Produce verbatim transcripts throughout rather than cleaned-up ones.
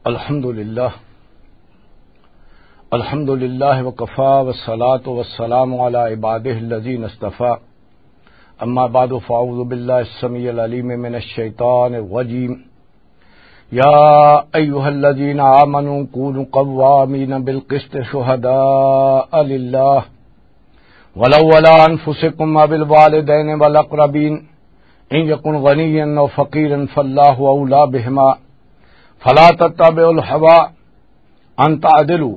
الحمد لله. الحمد لله وكفى، والصلاة والسلام على عباده الذين اصطفى. أما بعد، فأعوذ بالله السميع العليم من الشيطان الرجيم. يا أيها الذين آمنوا كونوا قوامين بالقسط شهداء لله ولو على أنفسكم أو الوالدين والأقربين إن يكن غنيا أو فقيرا فالله أولى بهما فلا تتبعوا الهوى أن تعدلوا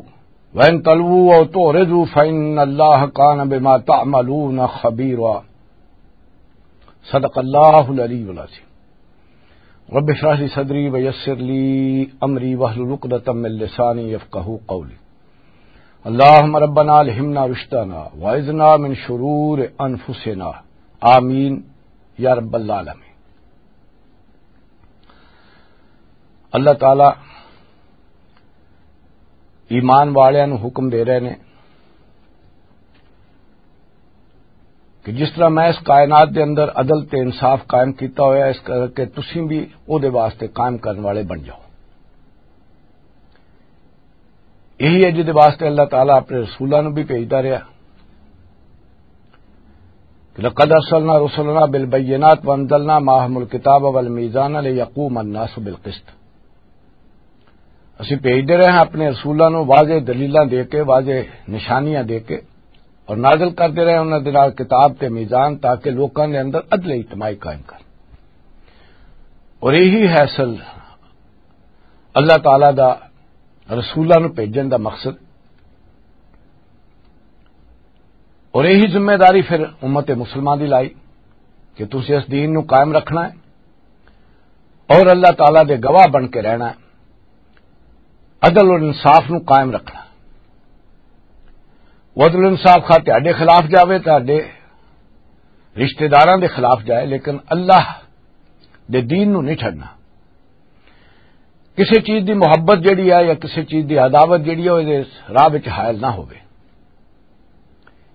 وإن تلووا أو تعرضوا فإن الله كان بما تعملون خبيرا. صدق الله العلي العظيم. رب اشرح لي صدري ويسر لي أمري واحلل عقدة من لساني يفقهوا قولي. اللهم ربنا ألهمنا رشدنا وأعذنا من شرور أنفسنا. آمين يا رب العالمين. اللہ تعالی ایمان والیاں نوں حکم دے رہے نے کہ جس طرح میں اس کائنات دے اندر عدل تے انصاف قائم کیتا ہویا، اس کر کے تسیں بھی او دے واسطے قائم کرن والے بن جاؤ۔ یہی ہے جس دے واسطے اللہ تعالیٰ اپنے رسولاں نوں بھی بھیجدا رہیا کہ لقد ارسلنا رسلنا بالبینات وانزلنا معهم الکتاب والمیزان لیقوم الناس بالقسط۔ اسی بھیجدے رہے ہیں اپنے رسولاں نوں واضح دلیلاں دے کے، واضح نشانیاں دے کے، اور نازل کردے رہے انہاں دے نال کتاب تے میزان، تاکہ لوکاں دے اندر عدل اجتماعی قائم کر۔ اور یہی ہے اصل اللہ تعالیٰ دا رسولاں نوں بھیجن دا مقصد۔ اور یہی ذمہ داری پھر امت مسلمان دی لائی کہ تسی اس دین نوں قائم رکھنا ہے اور اللہ تعالیٰ دے گواہ بن کے رہنا ہے، عدل اور انصاف نوں قائم رکھنا۔ وہ عدل انصاف خواہ تہاڈے خلاف جاوے، تہاڈے رشتہ داراں دے خلاف جائے، لیکن اللہ دے دین نوں نہیں چھڈنا۔ کسی چیز دی محبت جڑی ہے یا کسی چیز دی عداوت جڑی ہے، وہ راہ وچ حائل نہ ہوے۔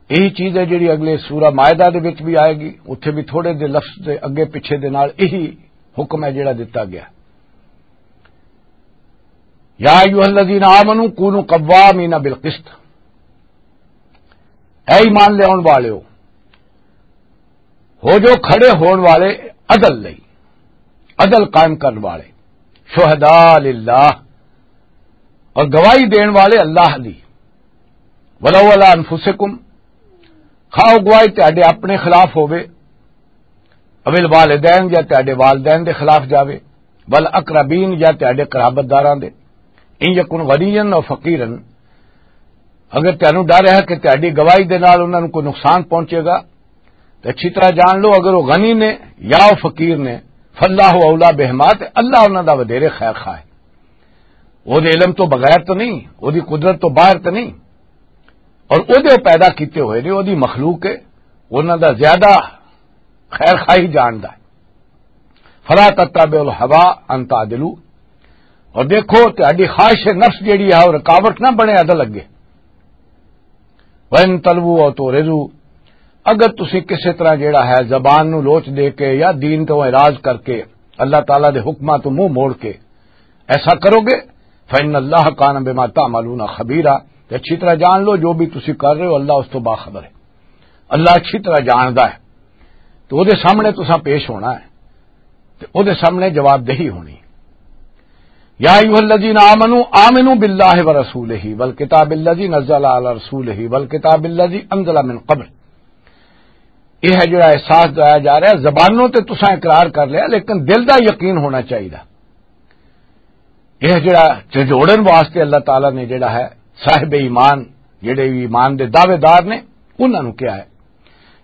یہی چیز ہے جڑی اگلے سورہ مائدہ دے وچ بھی آئے گی، اتھے بھی تھوڑے دے لفظ دے اگے پیچھے دے نال یہی حکم ہے جڑا دتا گیا۔ یا ایھا الذین آمنوا کونوا قوامین بالقسط، اے ایمان لیاون والےو، ہو جو کھڑے ہون والے عدل لئی، عدل قائم کرن والے، شہداء للہ، اور گواہی دین والے اللہ دی، ولو علی انفسکم، خواہ او گواہی تہاڈے اپنے خلاف ہووے، اویل والدین یا تہاڈے والدین دے خلاف جاوے، ول اقربین یا تہاڈے قرابت داراں دے، ان یکن غنیا او فقیرا، اگر تہانوں ڈر ہے کہ تہاڈی گواہی دے نال انہاں نوں کوئی نقصان پہنچے گا، تے اچھی طرح جان لو، اگر وہ غنی نے یا وہ فقیر نے، فاللہ اولا بہما، تے اللہ انہاں دا ودھیرے خیر خواہ ہے۔ وہ دے علم تو بغیر تو نہیں، وہ دی قدرت تو باہر تو نہیں، اور وہ دے پیدا کیتے ہوئے نے، وہ دی مخلوق ہے، انہاں دا زیادہ خیر خواہی جاندا ہے۔ فلا تتبعوا الهوى ان تعدلوا، اور دیکھو تہاڈی خواہش نفس جیڑی ہے وہ رکاوٹ نہ بنے عدل اگے۔ وَإِن تَلْوُوا أَوْ تُعْرِضُوا، اگر تسی کسے طرح جیڑا ہے زبان نو لوچ دے کے یا دین تو اعراض کر کے اللہ تعالیٰ دے حکماں تو منہ موڑ کے ایسا کرو گے، فَإِنَّ اللَّهَ كَانَ بِمَا تَعْمَلُونَ خَبِيرًا، تے اچھی طرح جان لو جو بھی تسی کر رہے ہو اللہ اس تو باخبر ہے، اللہ اچھی طرح جاندا ہے۔ تو او دے سامنے تساں پیش ہونا ہے۔ تے او دے سامنے جواب دہی ہونی۔ یا ایھا الذین آمنوا آمنوا باللہ ورسولہ والکتاب الذی نزل علی رسولہ والکتاب الذی انزل من قبل۔ یہ ہے جڑا احساس دلایا جا رہا ہے، زبانوں تے تساں اقرار کر لیا، لیکن دل دا یقین ہونا چاہیے۔ یہ جڑا جھجوڑن واسطے اللہ تعالیٰ نے جڑا ہے صاحب ایمان، جڑے ایمان دے دعوے دار نے، انہاں نوں کیا ہے؟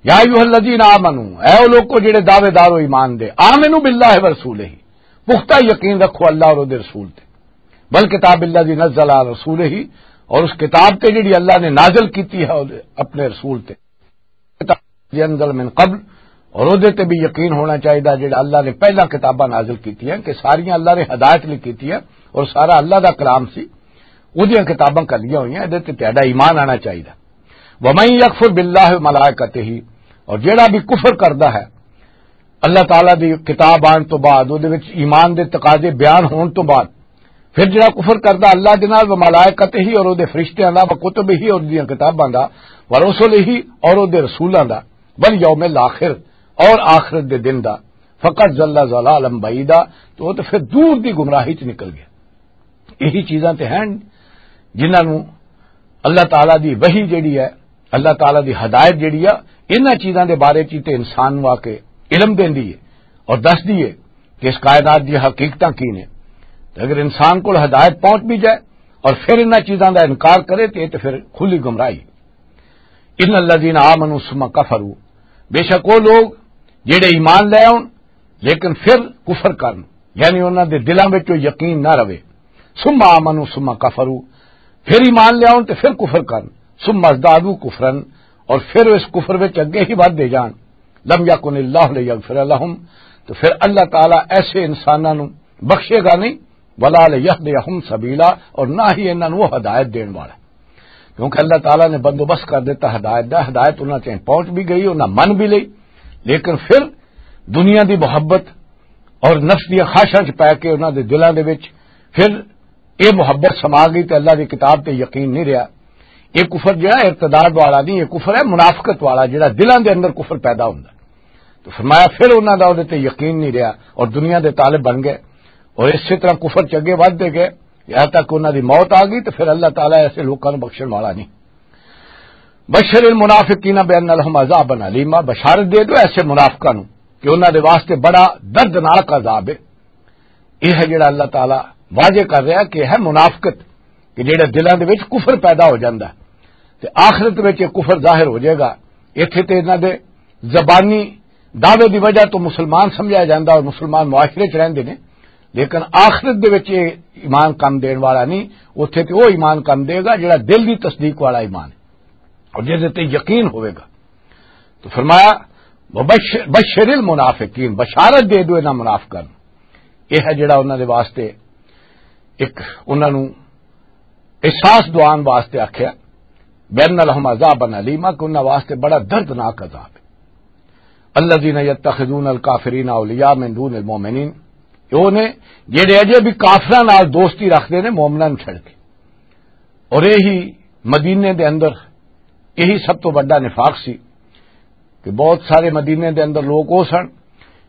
یا ایھا الذین آمنو، اے او لوکو جڑے دعوے دار ہو ایمان دے، آمنو باللہ ورسولہ، پختہ یقین رکھو اللہ اور دے رسول تے، بل کتاب الذی نزل علی رسولہ، اور اس کتاب تے جڑی اللہ نے نازل کیتی ہے اپنے رسول تے، کتاب الذی انزل من قبل، اور اودے تے بھی یقین ہونا چاہیے جڑا اللہ نے پہلا کتاباں نازل کیتی ہیں کہ ساریاں اللہ نے ہدایت لئی کیتی ہیں اور سارا اللہ دا کلام سی، اودیاں کتاباں کلیاں ہوئی ہیں، ادے تے تہاڈا ایمان آنا چاہیے۔ ومن یکفر باللہ و ملائکتہ، اور جڑا بھی کفر کردا ہے اللہ تعالیٰ دی کتاب آن تو بعد، اودے وچ ایمان دے تقاضے بیان ہون تو بعد، پھر جڑا کفر کردا اللہ دے نال، و ملائکتہ ہی، اور او دے فرشتیاں دا، و کتب ہی، اور دیاں کتاباں دا، و رسول ہی، اور او دے رسولاں دا، والیوم الاخر، اور آخرت دے دن دا، فقد ضل ضلالا بعیدا، تو او تے پھر دور دی گمراہی چ نکل گیا۔ یہی چیزاں تے ہیں جنہاں نوں اللہ تعالیٰ دی وحی جڑی ہے، اللہ تعالیٰ دی ہدایت جڑی ہے، انہاں چیزاں دے بارے چ تے انسان نوں آ کے علم دیندی ہے اور دسدی ہے کہ اس کائنات دی حقیقتاں کی نے۔ تے اگر انسان کول ہدایت پہنچ بھی جائے اور پھر انہاں چیزاں دا انکار کرے تے، تے پھر کھلی گمراہی۔ ان الذین آمنوا ثم کفروا، بے شک وہ لوگ جڑے ایمان لے آؤن لیکن پھر کفر کرن، یعنی انہاں دے دلاں وچ وہ یقین نہ رہے۔ ثم آمنوا ثم کفروا، پھر ایمان لے آؤن تے پھر کفر کرن۔ ثم ازدادوا کفرا، اور پھر اس کفر وچ اگے ہی ودھدے جان۔ لم یکن اللہ لیغفر لہم، تو پھر اللہ تعالیٰ ایسے انساناں نوں بخشے گا نہیں، ولا لیہدیہم سبیلا، اور نہ ہی انہاں نوں وہ ہدایت دین والا۔ کیونکہ اللہ تعالیٰ نے بندوبست کر دیتا ہدایت دا، ہدایت انہاں تائیں پہنچ بھی گئی، انہاں من بھی لئی، لیکن پھر دنیا دی محبت اور نفس دی خواہشاں چ پے کے انہاں دے دلاں دے وچ پھر یہ محبت سما گئی تے اللہ دی کتاب تے یقین نہیں رہا۔ یہ کفر جڑا ارتداد والا نہیں، یہ کفر ہے منافقت والا، جڑا دلاں دے اندر کفر پیدا ہوندا۔ تو فرمایا پھر انہاں دا اودے تے یقین نہیں رہا اور دنیا دے طالب بن گئے اور اسی طرح کفر چ اگے ودھدے گئے، یہاں تک انہاں دی موت آ گئی۔ تو پھر اللہ تعالیٰ ایسے لوکاں نوں بخشن والا نہیں۔ بشر المنافقین بان لہم عذابا علیما، بشارت دے دو ایسے منافقاں نوں کہ انہاں دے واسطے بڑا دردناک عذاب ہے۔ یہ ہے جڑا اللہ تعالیٰ واضح کر رہا کہ یہ ہے منافقت، کہ جڑے دلاں دے وچ کفر پیدا ہو جاندا ہے تے آخرت وچ یہ کفر ظاہر ہو جائے گا۔ ایتھے تے انہاں دے زبانی دعوے دی وجہ تو مسلمان سمجھا جاندا اور مسلمان معاشرے چ رہندے نے، لیکن آخرت دے وچ یہ ایمان کم دین والا نہیں۔ اوتھے تے وہ ایمان کم دے گا جڑا دل دی تصدیق والا ایمان ہے اور جس تے یقین ہوئے گا۔ تو فرمایا، "وبشر، بشر المنافقین"، بشارت دے دو انہاں منافقاں نوں۔ یہ ہے جڑا انہاں دے واسطے ایک، انہاں نوں احساس دوان واسطے آکھیا، "بین لہم عذابا علیما"، کہ انہاں واسطے بڑا دردناک عذاب ہے۔ الذین یتخذون الکافرین اولیاء من دون المؤمنین، یہ وہ نے جڑے اجے بھی کافراں نال دوستی رکھدے نے مومناں نوں چھڑ کے۔ اور یہی مدینے دے اندر یہی سب تو بڑا نفاق سی کہ بہت سارے مدینے دے اندر لوگ وہ سن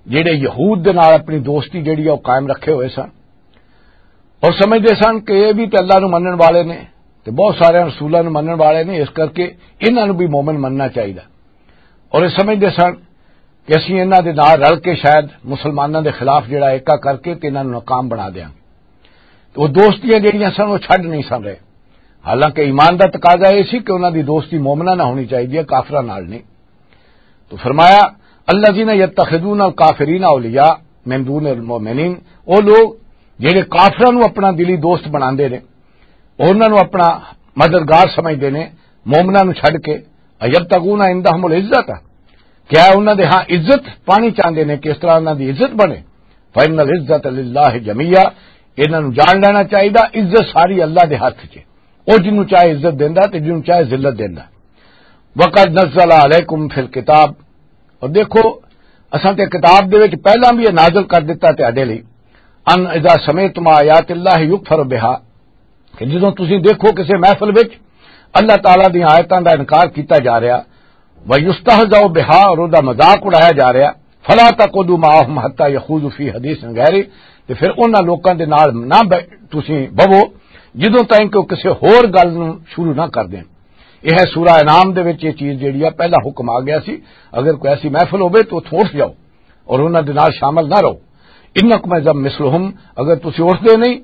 جڑے یہود دے نال اپنی دوستی جڑی ہے وہ قائم رکھے ہوئے سن اور سمجھدے سن کہ یہ بھی تے اللہ نوں منن والے نے تے بہت سارے رسولاں نوں منن والے نے، اس کر کے انہاں نوں بھی مومن مننا چاہیے۔ اور یہ سمجھدے سن کہ اسی انہاں دے نال رل کے شاید مسلماناں دے خلاف جڑا ایکا کر کے تے انہاں نوں ناکام بنا دیاں گے۔ تو وہ دوستیاں جڑیاں سن وہ چھڈ نہیں سن رہے، حالانکہ ایمان دا تقاضا یہ سی کہ انہاں دی دوستی مومناں نال ہونی چاہیے، کافراں نال نہیں۔ تو فرمایا، "الذین یتخذون الکافرین اولیاء من دون المؤمنین"، وہ لوگ جڑے کافراں نوں اپنا دلی دوست بناندے نے، انہاں نوں اپنا مددگار سمجھدے نے، مومناں نوں چھڈ کے، "ایبتغون عندہم العزت"، کیا انہاں دے ہاں عزت پانی چاہندے نے کہ اس طرح انہاں دی عزت بنے؟ "فإن العزت للہ جمیعا"، انہاں نوں جان لینا چاہیے، عزت ساری اللہ دے ہاتھ 'چ ہے، وہ جنوں چاہے عزت دیندا تے جنوں چاہے ذلت دیندا۔ "وقد نزل علیکم فی الکتاب"، اور دیکھو، اساں تے کتاب دے وچ پہلاں بھی یہ نازل کر دتا تہاڈے لئی، "ان اذا سمعتم آیات اللہ یکفر بہا"، کہ جدوں تسی دیکھو کسے محفل وچ اللہ تعالیٰ دی آیتاں دا انکار کیتا جا رہا، "و یستہزأ بہا"، اور او دا مذاق اڑایا جا رہا، "فلا تقعدوا معهم حتی یخوضوا فی حدیث غیرہ"، تے پھر انہاں لوکاں دے نال نہ بہ-، تسی بہو جدوں تائیں کہ او کسے ہور گل نوں شروع نہ کر دین۔ یہ ہے سورہ انعام دے وچ یہ چیز جیڑی ہے، پہلا حکم آ گیا سی، اگر کوئی ایسی محفل ہوے تو اتھوں اٹھ جاؤ اور انہاں دے نال شامل نہ رہو۔ "انکم اذا مثلہم"، اگر تسی اٹھدے نہیں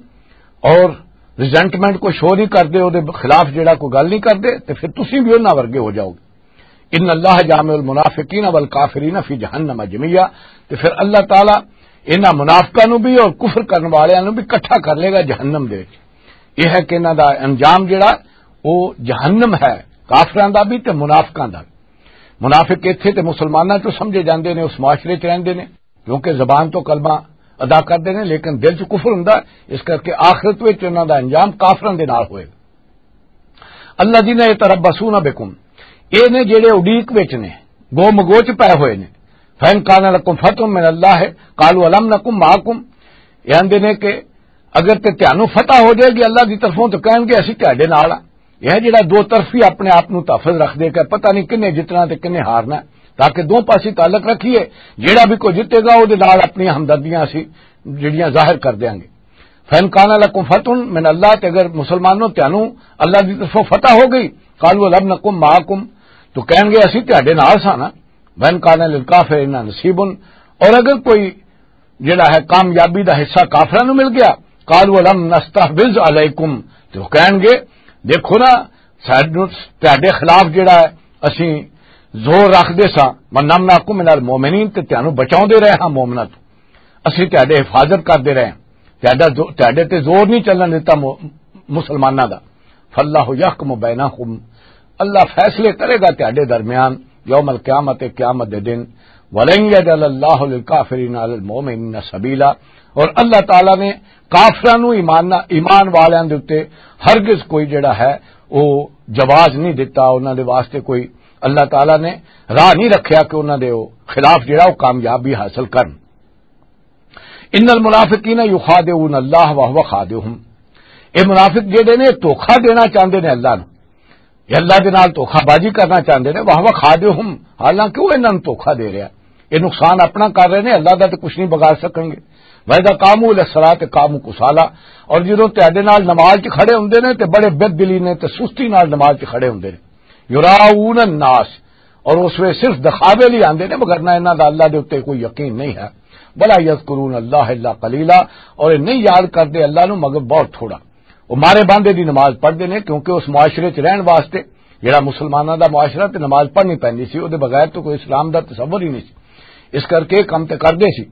اور ریزنٹمنٹ کو شو نہیں کردے، او دے خلاف جیڑا کوئی گل نہیں کردے، تے پھر تسی بھی انہاں ورگے ہو جاؤ گے۔ "ان اللہ جامع المنافقین والکافرین فی جہنم جمیعا"، تے پھر اللہ تعالیٰ انہاں منافقاں نوں بھی اور کفر کرن والیاں نوں بھی اکٹھا کر لے گا جہنم دے وچ۔ یہ ہے کہ انہاں دا انجام جڑا، وہ جہنم ہے، کافراں دا بھی تے منافقاں دا بھی۔ منافق ایتھے تے مسلماناں چوں سمجھے جاندے نے، اس معاشرے چ رہندے نے، کیونکہ زبان تو کلمہ ادا کردے نے، لیکن دل چ کفر ہوندا ہے، اس کر کے آخرت وچ انہاں دا انجام کافراں دے نال ہوئے گا۔ الذین یتربصون بکم، اے نے جڑے اڈیک وچ نے، گو مگو چ پے ہوئے نے۔ فَإِنْ كَانَ لَكُمْ فَتْحٌ مِّنَ اللَّهِ قَالُوا أَلَمْ نَكُنْ مَعَكُمْ، یہ آندے نے کہ اگر تے تانوں فتح ہو جائے گی اللہ دی طرفوں، تو کہن گے، "اسی تہاڈے نال ہاں۔" یہ جڑا دو طرفی اپنے آپ نوں تحفظ رکھ دے کہ پتہ نہیں کنے جتنا تے کنے ہارنا ہے، تاکہ دو پاسی تعلق رکھیے، جڑا بھی کوئی جتے گا، وہ دے نال اپنی ہمدردیاں اسی جڑیاں ظاہر کر دیاں گے۔ "فَإِنْ كَانَ لَكُمْ فَتْحٌ مِّنَ اللَّهِ"، تے اگر مسلمانوں تانوں اللہ دی طرفوں فتح ہو گئی، "قَالُوا أَلَمْ نَكُنْ مَعَكُمْ"، تو کہن گے، "اسی تہاڈے نال ساں نا۔" "وَإِنْ كَانَ لِلْكَافِرِينَ نَصِيبٌ"، اور اگر کوئی جڑا ہے کامیابی دا حصہ کافراں نوں مل گیا، "قَالُوا أَلَمْ نَسْتَحْوِذْ عَلَيْكُمْ"، تو کہن گے، "دیکھو نا، سانوں تہاڈے خلاف جڑا ہے، اسی زور رکھ دے ساں، وَنَمْنَعْكُمْ مِنَ الْمُؤْمِنِينَ، تے تانوں بچاؤندے رہے ہاں مومناں تو۔" اسی تہاڈے حفاظت کردے رہے، تہاڈا زو-، تہاڈے تے زور نہیں چلن دتا مو-، مسلماناں دا۔ "فَاللَّهُ يَحْكُمُ بَيْنَكُمْ"، اللہ فیصلے کرے گا تہاڈے درمیان، یوم القیامت، قیامت دے دن۔ "وَلَنْ يَجْعَلَ اللَّهُ لِلْكَافِرِينَ عَلَى الْمُؤْمِنِينَ سَبِيلًا"، اور اللہ تعالیٰ نے کافراں نو ایمان، ایمان والیاں دے اُتے ہرگز کوئی جڑا ہے، وہ جواز نہیں دتا، انہاں دے واسطے کوئی، اللہ تعالیٰ نے راہ نہیں رکھیا کہ انہاں دے وہ خلاف جڑا وہ کامیابی حاصل کرن۔ "ان المنافقین یخادعون اللہ وہو خادعہم"، اے منافق جڑے نے، دھوکا دینا چاہندے نے اللہ نو، یہ اللہ دے نال دھوکا بازی کرنا چاہندے نے، "وہو خادعہم"، حالانکہ وہ انہاں نوں دھوکا دے رہا۔ یہ نقصان اپنا کر رہے نے، اللہ دا تے کچھ نہیں بگاڑ سکن گے۔ "واذا قاموا الی الصلاۃ قاموا کسالی"، اور جدوں تہاڈے نال نماز چ کھڑے ہوندے نے تے بڑے بد دلی نے تے سستی نال نماز چ کھڑے ہوندے نے۔ "یراؤون الناس"، اور اس ویلے صرف دکھاوے لئی آندے نے، مگر نہ انہاں دا اللہ دے اُتے کوئی یقین نہیں ہے۔ "ولا یذکرون اللہ الا قلیلا"، اور یہ نہیں یاد کردے اللہ نو مگر بہت تھوڑا۔ وہ مارے باندھے دی نماز پڑھدے نے، کیونکہ اس معاشرے چ رہن واسطے، جڑا مسلماناں دا معاشرہ، تے نماز پڑھنی پیندی سی، او دے بغیر تو کوئی اسلام دا تصور ہی نہیں سی۔ اس کر کے کم تے کردے سی،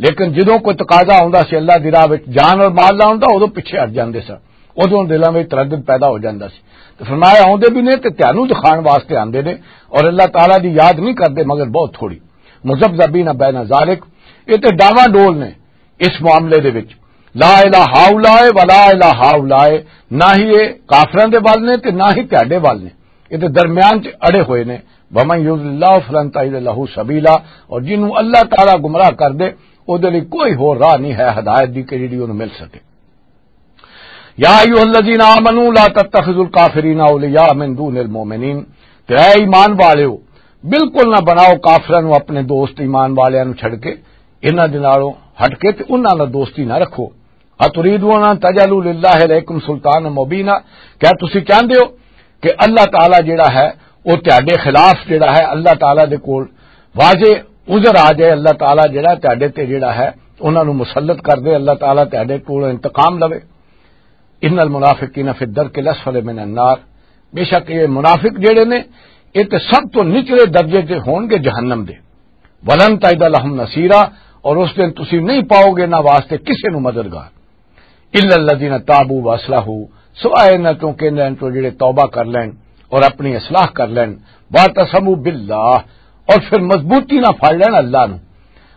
لیکن جدوں کوئی تقاضا ہوندا سی اللہ دی راہ وچ جان اور مال لاؤن دا، اودوں پیچھے ہٹ جاندے سن۔ ادوں دلاں وچ تردد پیدا ہو جاندا سی۔ تے فرمایا، "آوندے بھی نے تے تانوں دکھان واسطے آندے نے، اور اللہ تعالیٰ دی یاد نہیں کردے مگر بہت تھوڑی۔" مذبذبین بین ذالک، یہ تے ڈاواں ڈول نے اس معاملے دے وچ، لا الہ ہاؤلاء ولا الہ ہاؤلاء، نہ ہی یہ کافراں دے ول نے تے نہ ہی تہاڈے ول نے، یہ تے درمیان چ اڑے ہوئے نے۔ ومن یضلل اللہ فلن تجد لہ سبیلا، اور جنوں اللہ تعالیٰ گمراہ کر دے، او دے لئی کوئی ہور راہ نہیں ہے ہدایت دی کہ جڑی اونوں مل سکے۔ یا ایھا الذین آمنوا لا تتخذوا الکافرین اولیاء من دون المؤمنین، تے اے ایمان والیو، بالکل نہ بناؤ کافراں نوں اپنے دوست ایمان والیاں نوں چھڈ کے، انہاں دے نالوں ہٹ کے تے انہاں نال دوستی نہ رکھو۔ اتریدون ان تجعلوا للہ علیکم سلطانا مبینا، کیا تسی چاہندے ہو کہ اللہ تعالیٰ جڑا ہے، وہ تہاڈے خلاف جڑا ہے، اللہ تعالیٰ دے کول واضح عذر آ جائے، اللہ تعالیٰ جڑا تہاڈے تے جڑا ہے، انہاں نوں مسلط کر دے، اللہ تعالیٰ تہاڈے کول انتقام لوے۔ ان المنافقین فی الدرک الاسفل من النار، بے شک یہ منافق جڑے نے، یہ تے سب تو نچلے درجے تے ہون گے جہنم دے۔ ولن تجد لہم نصیرا، اور اس دن تسی نہیں پاؤ گے نہ واسطے کسے نوں مددگار۔ الا الذین تابوا واصلحوا، سوائے انہاں چوں کہ انہاں چوں جڑے توبہ کر لین اور اپنی اصلاح کر لین، واعتصموا باللہ، اور پھر مضبوطی نہ پھڑ لین اللہ نو،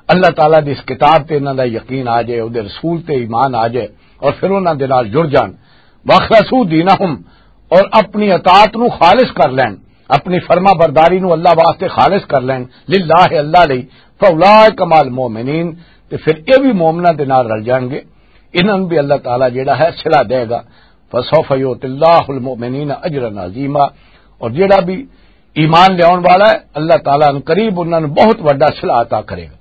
اللہ تعالیٰ دی اس کتاب تے انہاں دا یقین آ جائے، او دے رسول تے ایمان آ جائے، اور پھر انہاں دے نال جڑ جان۔ واخلصوا دینہم، اور اپنی اطاعت نو خالص کر لین، اپنی فرما برداری نو اللہ واسطے خالص کر لین، للہ، اللہ لئی، فاولئک مع المؤمنین، تے پھر اے بھی مومناں دے نال رل جان گے۔ انہاں نوں بھی اللہ تعالیٰ جڑا ہے صلہ دے گا۔ فسوف یؤتی اللہ المؤمنین اجرا عظیما، اور جڑا بھی ایمان لیاون والا ہے، اللہ تعالیٰ ان قریب انہاں نوں بہت وڈا صلہ عطا کرے گا۔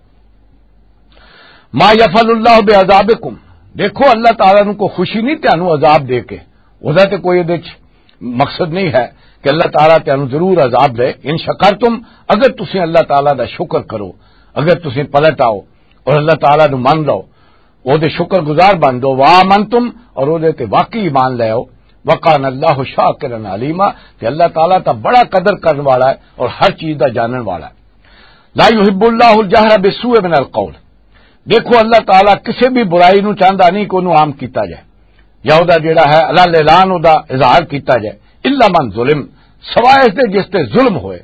ما یفعل اللہ بعذابکم، دیکھو اللہ تعالیٰ نوں کوئی خوشی نہیں تانوں عذاب دے کے، او دا تے کوئی ادے وچ مقصد نہیں ہے کہ اللہ تعالیٰ تانوں ضرور عذاب دے۔ ان شکرتم، اگر تسی اللہ تعالیٰ دا شکر کرو، اگر تسی پلٹ آؤ اور اللہ تعالیٰ نوں من لو، او دے شکر گزار بن دو، وآمنتم، اور او دے تے واقعی ایمان لے آؤ، وکان اللہ شاکرا علیما، تے اللہ تعالیٰ تا بڑا قدر کرن والا ہے اور ہر چیز دا جانن والا ہے۔ لا یحب اللہ الجہر بالسوء من القول، دیکھو اللہ تعالیٰ کسے بھی برائی نو چاہندا نہیں کہ انہوں عام کیتا جائے، یا او دا جڑا ہے علن اعلان او دا اظہار کیتا جائے، الا من ظلم، سوائے اس دے جس تے ظلم ہوئے،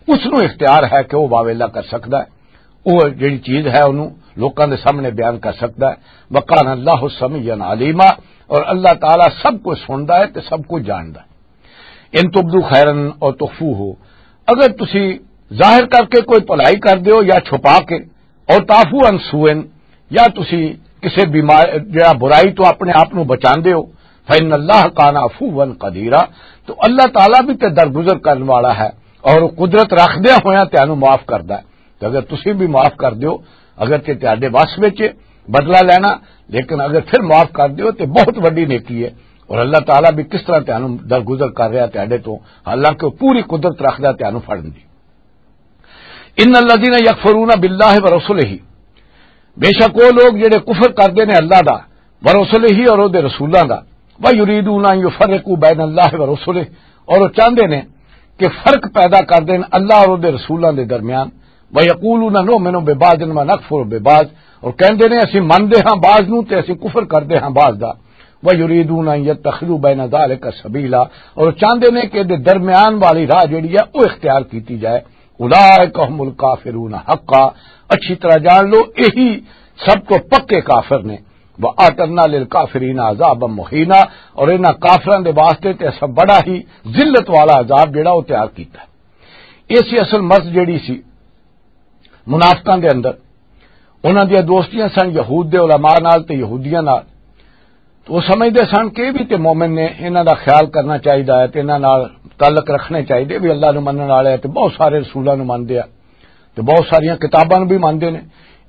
اس نو اختیار ہے کہ وہ واویلا کر سکدا ہے۔ وہ جڑی چیز ہے انہوں لوکاں دے سامنے بیان کر سکدا ہے۔ وکان اللہ سمیعا علیما، اور اللہ تعالیٰ سب کچھ سندا ہے تے سب کچھ جاندا ہے۔ ان تبدو خیرا او تخفوہ، اگر تسی ظاہر کر کے کوئی بھلائی کر دیو یا چھپا کے، او تعفو عن سوء، یا تسی کسے بیمار، جڑا برائی تو اپنے آپ نو بچاندے ہو، فإن اللہ کان عفوا قدیرا، تو اللہ تعالیٰ بھی تے درگزر کرن والا ہے، اور وہ قدرت رکھدے ہویا تینوں معاف کردا ہے۔ تو اگر تسی بھی معاف کر دیو، اگر تے تہاڈے وس وچ بدلہ لینا، لیکن اگر پھر معاف کر دیو تے بہت وڈی نیکی ہے، اور اللہ تعالیٰ بھی کس طرح تینوں درگزر کر رہا تہاڈے تو، حالانکہ وہ پوری قدرت رکھدا تینوں پھڑن دی۔ ان الذین یکفرون باللہ ورسلہ، بے شک وہ لوگ جڑے کفر کردے نے اللہ دا، ورسلہ، اور او دے رسولاں دا، ویریدون ان یفرقوا بین اللہ ورسلہ، اور وہ چاہندے نے کہ فرق پیدا کر دین اللہ اور او دے رسولاں دے درمیان، ویقولون نؤمن ببعض ونکفر ببعض، اور کہندے نے اسی مندے ہاں بعض نوں تے اسی کفر کردے ہاں بعض دا، ویریدون ان یتخذوا بین ذالک سبیلا، اور چاہندے نے کہ دے درمیان والی راہ جڑی ہے وہ اختیار کیتی جائے۔ اولئک هم الکافرون حقا، اچھی طرح جان لو، یہی سب تو پکے کافر نے۔ وَأَعْتَدْنَا لِلْكَافِرِينَ عَذَابًا مُهِينًا، اور انہاں کافراں دے واسطے تے اساں بڑا ہی ذلت والا عذاب جڑا وہ تیار کیتا ہے۔ یہ سی اصل مرض جڑی سی منافقاں دے اندر۔ انہاں دیاں دوستیاں سن یہود دے علماء نال تے یہودیاں نال۔ تو وہ سمجھدے سن کہ یہ بھی تے مومن نے، انہاں دا خیال کرنا چاہیدا ہے تے انہاں نال تعلق رکھنے چاہیدے، بھی اللہ نو منن والے تے بہت سارے رسولاں نو مندے آ تے بہت ساریاں کتاباں نو بھی مندے نے۔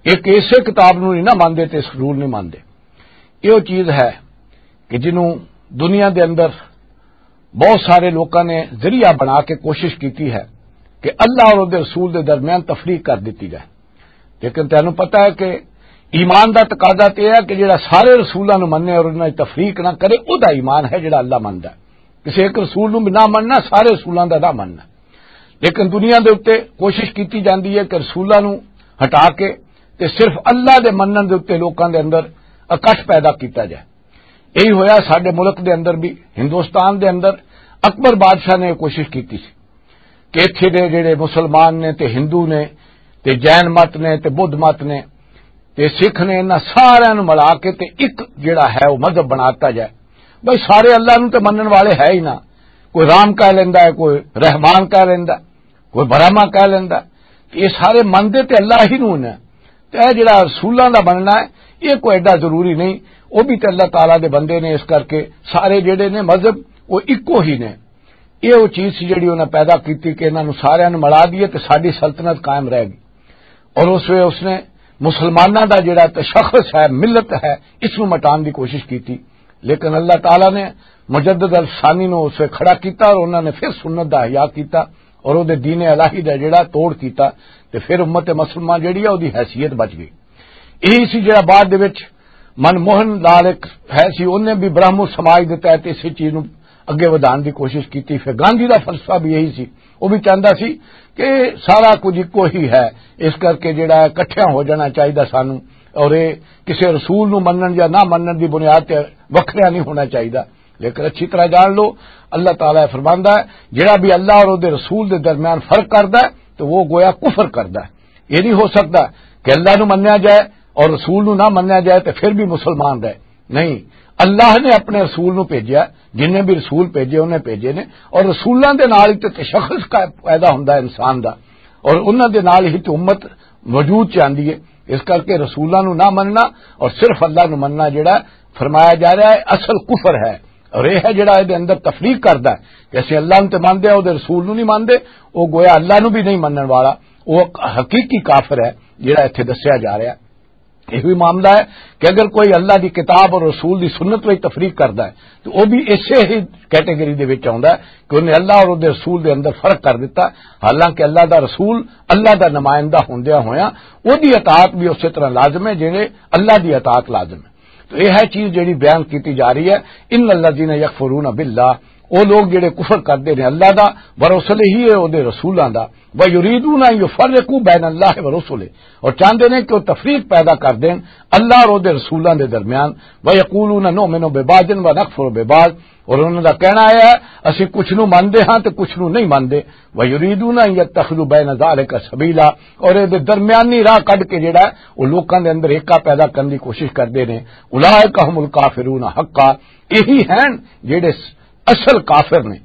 ایک اسے کتاب نو نہیں نہ مندے تے اس رول نہیں مندے۔ یہ وہ چیز ہے کہ جنوں دنیا دے اندر بہت سارے لوکاں نے ذریعہ بنا کے کوشش کیتی ہے کہ اللہ اور اودے رسول دے درمیان تفریق کر دتی جائے۔ لیکن تینوں پتہ ہے کہ ایمان دا تقاضا تے ہے کہ جڑا سارے رسولاں نوں منے اور انہاں دی تفریق نہ کرے، او دا ایمان ہے جڑا اللہ مندا ہے۔ کسی ایک رسول نوں بھی نہ مننا، سارے رسولاں دا نہ مننا۔ لیکن دنیا دے اُتے کوشش کیتی جاندی ہے کہ رسولاں نوں ہٹا کے تے صرف اللہ دے منن دے اُتے لوکاں دے اندر اکٹھ پیدا کیتا جائے۔ یہی ہویا ساڈے ملک دے اندر بھی، ہندوستان دے اندر اکبر بادشاہ نے یہ کوشش کیتی سی کہ اتھے دے جڑے مسلمان نے تے ہندو نے تے جین مت نے تے بدھ مت نے تے سکھ نے، انہاں سارے نوں ملا کے تے ایک جڑا ہے وہ مذہب بناتا جائے۔ بھائی، سارے اللہ نوں تے منن والے ہے ہی نہ، کوئی رام کہہ لیندا ہے، کوئی رحمان کہہ لیندا ہے، کوئی برہما کہہ لیندا ہے۔ تے یہ سارے منندے تے اللہ ہی نوں نے۔ تے یہ جڑا رسولاں دا مننا ہے، یہ کوئی ایڈا ضروری نہیں۔ وہ بھی تے اللہ تعالیٰ دے بندے نے، اس کر کے سارے جڑے نے مذہب، وہ اکو ہی نے۔ یہ وہ چیز سی جڑی انہاں پیدا کیتی کہ انہاں نوں ساریاں نوں ملا دیے تے ساڈی سلطنت قائم رہ گئی۔ اور اس وے اس نے مسلماناں دا جڑا تشخص ہے، ملت ہے، اس نوں مٹان دی کوشش کیتی۔ لیکن اللہ تعالیٰ نے مجدد الثانی نوں اس وے کھڑا کیتا اور انہاں نے پھر سنت دا احیاء کیتا اور او دے دین الہی دا جڑا توڑ کیتا، تے پھر امت مسلمہ جڑی ہے، او دی حیثیت بچ گئی۔ یہی سی جڑا بعد دے وچ من موہن لال ایک ہے سی، انہیں بھی برہمو سماج دے تحت اسی چیز نوں اگے ودھان دی کوشش کیتی۔ پھر گاندھی دا فلسفہ بھی یہی سی، وہ بھی چاہندا سی کہ سارا کچھ اکو ہی ہے، اس کر کے جڑا ہے اکٹھیاں ہو جانا چاہیدا سانوں، اور یہ کسی رسول نوں منن یا نہ منن دی بنیاد تے وکھریا نہیں ہونا چاہیدا۔ لیکن اچھی طرح جان لو، اللہ تعالیٰ فرماندا ہے، جڑا بھی اللہ اور دے رسول دے درمیان فرق کردا ہے تو وہ گویا کفر کردا ہے۔ یہ نہیں ہو سکتا کہ اللہ نو منیا جائے اور رسول نو نہ منیا جائے تے پھر بھی مسلمان رہے۔ نہیں، اللہ نے اپنے رسول نو بھیجیا، جن نے بھی رسول بھیجے انہیں بھیجے نے، اور رسولاں دے نال ہی تے تشخص کا پیدا ہوندا ہے انسان دا، اور انہاں دے نال ہی تے امت وجود چ آندی ہے۔ اس کر کے رسولاں نو نہ مننا اور صرف اللہ نو مننا جڑا فرمایا جا رہا ہے، اصل کفر ہے۔ اور یہ ہے جڑا اے دے اندر تفریق کردا ہے کہ اسی اللہ نو تے مندے ہیں، او دے رسول نو نہیں مندے، او گویا اللہ نو بھی نہیں منن والا، او حقیقی کافر ہے جڑا ایتھے دسیا جا رہا ہے۔ یہ بھی معاملہ ہے کہ اگر کوئی اللہ دی کتاب اور رسول دی سنت وچ تفریق کردا ہے تو وہ بھی اسے ہی کیٹیگری دے وچ آوندا ہے کہ انہیں اللہ اور دے رسول دے اندر فرق کر دیتا، حالانکہ اللہ دا رسول اللہ دا نمائندہ ہوندیا ہویا، او دی اطاعت بھی اسی طرح لازم ہے جڑے اللہ دی اطاعت لازم ہے۔ تو یہ ہے چیز جڑی بیان کیتی جا رہی ہے، ان الذین یکفرون باللہ، او لوگ جڑے کفر کردے نے اللہ دا، ورسلہ، او دے رسولاں دا، ویریدون ان یفرقوا بین اللہ ورسلہ، اور چاہندے نے کہ وہ تفریق پیدا کر دین اللہ اور او دے رسولاں دے درمیان، ویقولون نؤمن ببعض ونکفر ببعض، اور انہاں دا کہنا ہے، اسی کچھ نو مندے ہاں تے کچھ نو نہیں مندے، ویریدون ان یتخذوا بین ذالک سبیلا، اور اے دے درمیانی راہ کڈ کے جڑا ہے، وہ لوکاں دے اندر ایکا پیدا کرن دی کوشش کردے نے۔ اولئک هم الکافرون حقا، یہی ہیں جڑے اصل کافر نے۔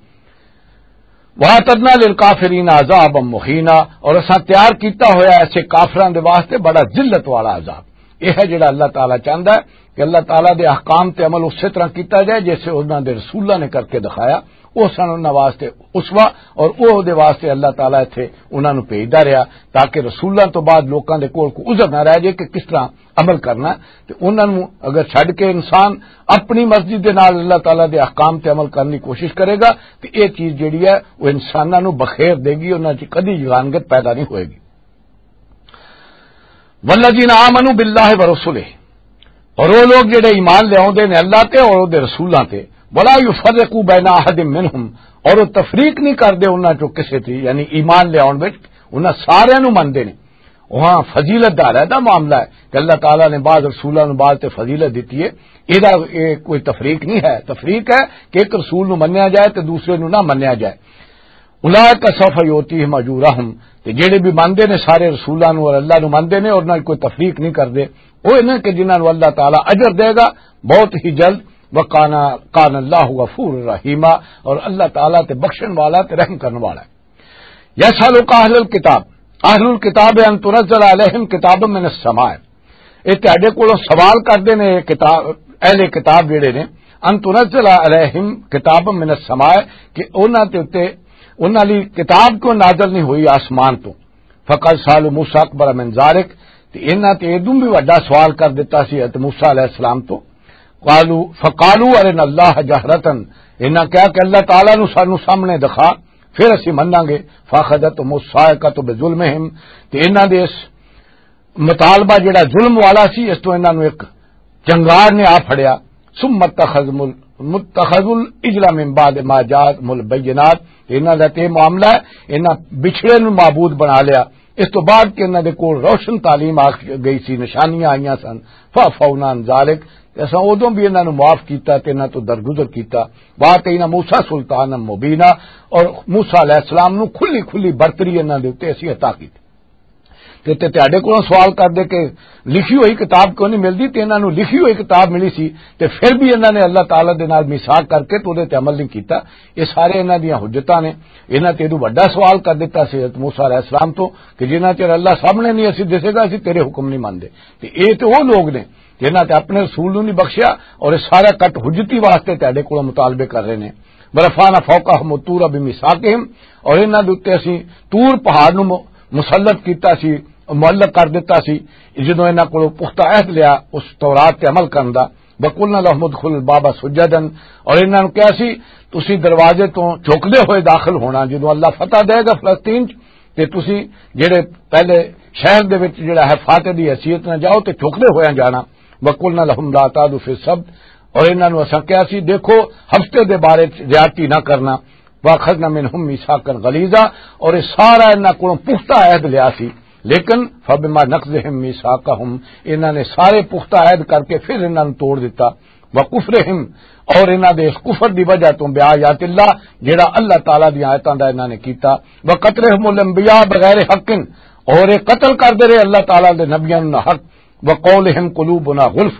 وَأَعْتَدْنَا لِلْكَافِرِينَ عَذَابًا مُهِينًا، اور اساں تیار کیتا ہویا ایسے کافراں دے واسطے بڑا ذلت والا عذاب۔ یہ ہے جڑا اللہ تعالیٰ چاہتا ہے کہ اللہ تعالیٰ دے احکام تے عمل اسی طرح کیتا جائے جیسے انہاں دے رسولاں نے کر کے دکھایا۔ وہ سن انہاں واسطے اسوہ، اور وہ دے واسطے اللہ تعالیٰ اتھے انہاں نوں بھیجدا رہیا، تاکہ رسولاں تو بعد لوکاں دے کول کوئی عذر نہ رہ جائے کہ کس طرح عمل کرنا ہے۔ تے انہاں نوں اگر چھڈ کے انسان اپنی مرضی دے نال اللہ تعالیٰ دے احکام تے عمل کرنے کی کوشش کرے گا، تے یہ چیز جڑی ہے، وہ انساناں نوں بخیر دے گی، انہاں چ کدی یگانگت پیدا نہیں ہوئے گی۔ والذین آمنوا باللہ ورسلہ، اور وہ لوگ جڑے ایمان لے آوندے نے اللہ تے اور دے رسولاں تے، ولا یفرقوا بین احد منہم، اور وہ تفریق نہیں کردے انہاں چوں کسے تے، یعنی ایمان لے آون وچ انہاں سارے نوں مندے نے۔ وہاں فضیلت دا علیحدہ معاملہ ہے کہ اللہ تعالیٰ نے بعض رسولاں نوں بعض تے فضیلت دتی ہے۔ یہ کوئی تفریق نہیں ہے، تفریق ہے کہ ایک رسول نوں منیا جائے تے دوسرے نوں نہ منیا جائے۔ اولئک سوف یؤتیہم اجورہم، تے جڑے بھی مندے نے سارے رسولاں نوں اور اللہ نوں مندے نے اور نہ کوئی تفریق نہیں کردے، وہ انہاں کہ جنہاں نوں اللہ تعالیٰ اجر دے گا بہت ہی جلد۔ وکانا کان اللہ غفور رحیما، اور اللہ تعالیٰ تے بخشن والا تے رحم کرن والا ہے۔ یسألک اہل الکتاب، اہل الکتاب ان تنزل علیہم کتاب من السماء، یہ تہاڈے کولوں سوال کردے نے یہ کتاب، اہل کتاب جڑے نے، ان تنزل علیہم کتاب من السماء، کہ انہاں تے اتے، انہاں لئی کتاب کیوں نازل نہیں ہوئی آسمان تو؟ فقد سالوا موسیٰ اکبر من ذالک، تے انہاں تے ادوں بھی وڈا سوال کر دتا سی حضرت موسیٰ علیہ السلام تو۔ قالوا، فقالوا ارنا اللہ جہرتن، انہاں کہا کہ اللہ تعالیٰ نو سانو سامنے دکھا، پھر اسی مناں گے۔ فاخذتهم الصاعقۃ بظلمهم، تے انہاں دے اس مطالبہ جڑا ظلم والا سی، اس تو انہاں نو ایک چنگار نے آ پھڑیا۔ ثم اتخذوا ال-، متخذوا العجل من بعد ما جاءتهم البینات، تے انہاں دا تے معاملہ ہے، انہاں بچھڑے نو معبود بنا لیا، اس تو بعد کہ انہاں دے کول روشن تعلیم آ گئی سی، نشانیاں آئیاں سن۔ فعفونا عن ذالک، تے اساں ادوں بھی انہاں نو معاف کیتا تے انہاں تو درگزر کیتا۔ وآتینا موسیٰ سلطانا مبینا، اور موسیٰ علیہ السلام نو کھلی کھلی برتری انہاں دے اُتے اسی عطا کیتی۔ تے تے تہاڈے کولوں سوال کردے کہ لکھی ہوئی کتاب کیوں نہیں ملدی؟ تے انہاں نوں لکھی ہوئی کتاب ملی سی، تے پھر بھی انہاں نے اللہ تعالیٰ دے نال میثاق کر کے تے اودے تے عمل نہیں کیتا۔ یہ سارے انہاں دیاں حجتاں نے۔ انہاں تے ادوں وڈا سوال کر دتا سی حضرت موسیٰ علیہ السلام تو کہ جنہاں چر اللہ سامنے نہیں اسی دسے گا، اسی تیرے حکم نہیں مندے۔ تے اے تے او لوگ نے جنہاں تے اپنے رسول نوں نہیں بخشیا، اور یہ سارا کٹ حجتی واسطے تہاڈے کولوں مطالبے کر رہے نے۔ ورفعنا فوقهم الطور بميثاقهم، اور انہاں دے اُتے اسی طور پہاڑ نوں م-، مسلط کیتا سی، معلق کر دتا سی، جدوں انہاں کولوں پختہ عہد لیا اس تورات تے عمل کرن دا۔ وقلنا لهم ادخلوا الباب سجدا، اور انہاں نوں کہا سی، تسی دروازے تو جھکدے ہوئے داخل ہونا۔ جدوں اللہ فتح دے گا فلسطین چ، تے تسی جڑے پہلے شہر دے وچ جڑا ہے فاتح دی حیثیت نہ جاؤ تے جھکدے ہویا جانا۔ وقلنا لهم لا تعدوا في السبت، اور انہاں نوں اساں کہا سی، دیکھو، ہفتے دے بارے چ زیادتی نہ کرنا۔ واخذنا منهم ميثاقا غليظا، اور یہ سارا انہاں کولوں پختہ عہد لیا سی، لیکن فبما نقضهم ميثاقهم، انہاں نے سارے پختہ عہد کر کے پھر انہاں نوں توڑ دتا۔ وکفرہم، اور انہاں دے اس کفر دی وجہ تو، بآیات اللہ، جڑا اللہ تعالیٰ دی آیتاں دا انہاں نے کیتا۔ وقتلہم الانبیاء بغیر حق، اور یہ قتل کردے رہے اللہ تعالیٰ دے نبیاں نوں نہ حق۔ وقولہم قلوبنا غلف،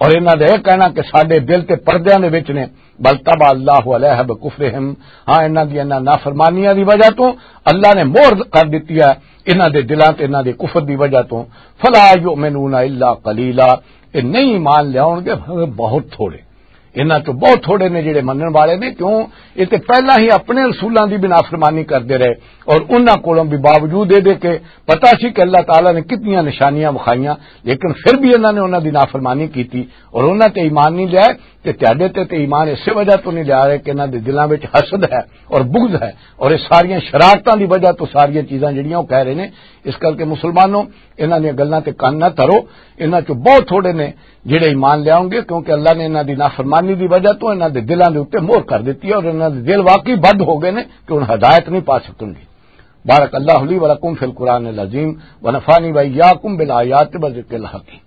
اور انہاں دا یہ کہنا کہ ساڈے دل تے پردیاں دے وچ نے۔ بل طبع اللہ علیہا بکفرہم، ہاں، انہاں دی انہاں نافرمانیاں دی وجہ تو اللہ نے مہر کر دتی ہے انہاں دے دلاں تے انہاں دے کفر دی وجہ تو۔ فلا یؤمنون الا قلیلا، یہ نہیں ایمان لیاؤن گے مگر بہت تھوڑے۔ انہاں چوں بہت تھوڑے نے جڑے منن والے نے، کیوں؟ یہ تے پہلا ہی اپنے رسولاں دی بھی نافرمانی کردے رہے، اور انہاں کولوں بھی، باوجود اے دے کہ پتہ سی کہ اللہ تعالیٰ نے کتنیاں نشانیاں وکھائیاں، لیکن پھر بھی انہاں نے انہاں دی نافرمانی کیتی اور انہاں تے ایمان نہیں لیا۔ تے تہاڈے تے تے ایمان اسے وجہ تو نہیں لیا رہے کہ انہاں دے دلاں وچ حسد ہے اور بغض ہے، اور یہ ساریاں شرارتاں دی وجہ تو ساریاں چیزاں جڑیاں وہ کہہ رہے نے۔ اس کر کے مسلمانوں، انہاں دیاں گلاں تے کن نہ دھرو۔ انہاں چوں بہت تھوڑے نے جڑے ایمان لیاؤں گے، کیونکہ اللہ نے انہاں دی نافرمانی دی وجہ تو انہاں دے دلاں دے اوپر مہر کر دتی ہے اور انہاں دے دل واقعی بد ہو گئے نے کہ ہن ہدایت نہیں پا سکن گے۔ بارک اللہ لی و لکم فی القرآن العظیم، و نفعنی و ایاکم بالآیات و ذکر الحکیم۔